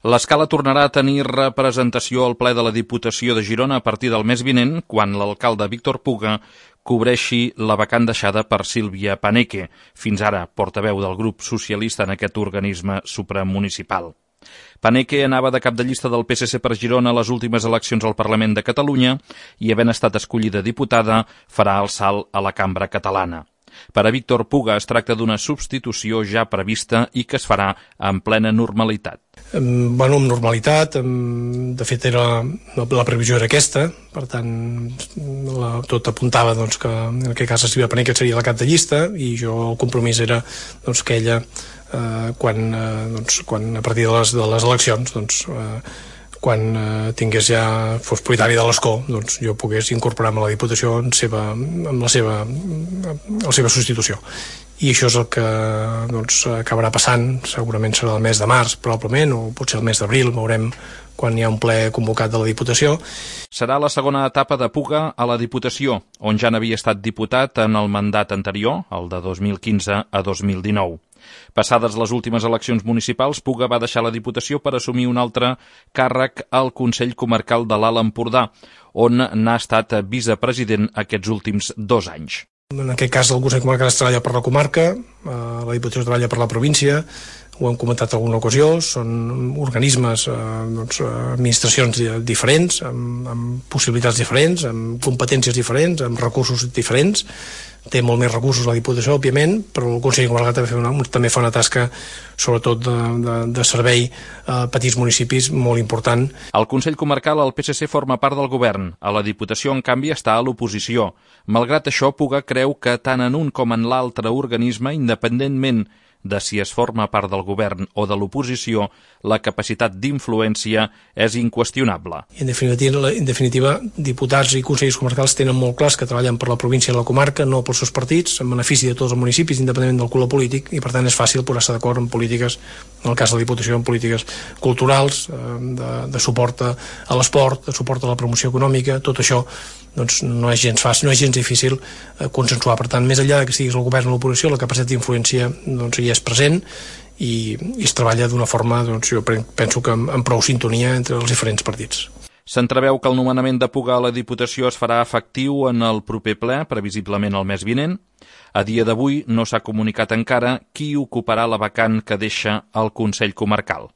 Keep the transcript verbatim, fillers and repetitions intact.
L'Escala tornarà a tenir representació al ple de la Diputació de Girona a partir del mes vinent, quan l'alcalde Víctor Puga cobreixi la vacant deixada per Sílvia Paneque, fins ara portaveu del grup socialista en aquest organisme supramunicipal. Paneque anava de cap de llista del P S C per Girona a les últimes eleccions al Parlament de Catalunya i, havent estat escollida diputada, farà el salt a la cambra catalana. Per a Víctor Puga es tracta d'una substitució ja prevista i que es farà en plena normalitat. Bueno, amb normalitat, de fet era, la previsió era aquesta, per tant la, tot apuntava doncs, que en aquest cas la Sílvia Paneque seria la cap de llista i jo el compromís era doncs, que ella eh, quan, eh, doncs, quan a partir de les, de les eleccions doncs, eh, quan eh, tingués ja, fos propietari de l'escó, doncs jo pogués incorporar-me a la Diputació en, seva, en la, seva, la seva substitució. I això és el que doncs, acabarà passant, segurament serà el mes de març, probablement, o potser el mes d'abril, veurem quan hi ha un ple convocat de la Diputació. Serà la segona etapa de Puga a la Diputació, on ja n'havia estat diputat en el mandat anterior, el de dos mil quinze a dos mil dinou. Passades les últimes eleccions municipals, Puga va deixar la Diputació per assumir un altre càrrec al Consell Comarcal de l'Alt Empordà, on n'ha estat vicepresident aquests últims dos anys. En aquest cas el Consell Comarcal es treballa per la comarca, la Diputació es treballa per la província, ho hem comentat en alguna ocasió, són organismes, doncs, administracions diferents, amb, amb possibilitats diferents, amb competències diferents, amb recursos diferents. Té molt més recursos la Diputació, òbviament, però el Consell Comarcal també fa una, també fa una tasca, sobretot de, de, de servei a petits municipis, molt important. Al Consell Comarcal el P S C forma part del govern. A la Diputació, en canvi, està a l'oposició. Malgrat això, Puga creu que tant en un com en l'altre organisme, independentment de si es forma part del govern o de l'oposició, la capacitat d'influència és inqüestionable. En definitiva, en definitiva, diputats i consells comarcals tenen molt clars que treballen per la província i la comarca, no pels seus partits, en benefici de tots els municipis, independentment del color polític, i per tant és fàcil posar-se d'acord en polítiques, en el cas de la Diputació, en polítiques culturals, de, de suport a l'esport, de suport a la promoció econòmica, tot això doncs, no és gens fàcil, no és gens difícil eh, consensuar. Per tant, més enllà que estiguis el govern o l'oposició, la capacitat d'influència doncs, hi és present i, i es treballa d'una forma, doncs, jo penso que amb, amb prou sintonia entre els diferents partits. S'entreveu que el nomenament de Puga a la Diputació es farà efectiu en el proper ple, previsiblement el mes vinent. A dia d'avui no s'ha comunicat encara qui ocuparà la vacant que deixa el Consell Comarcal.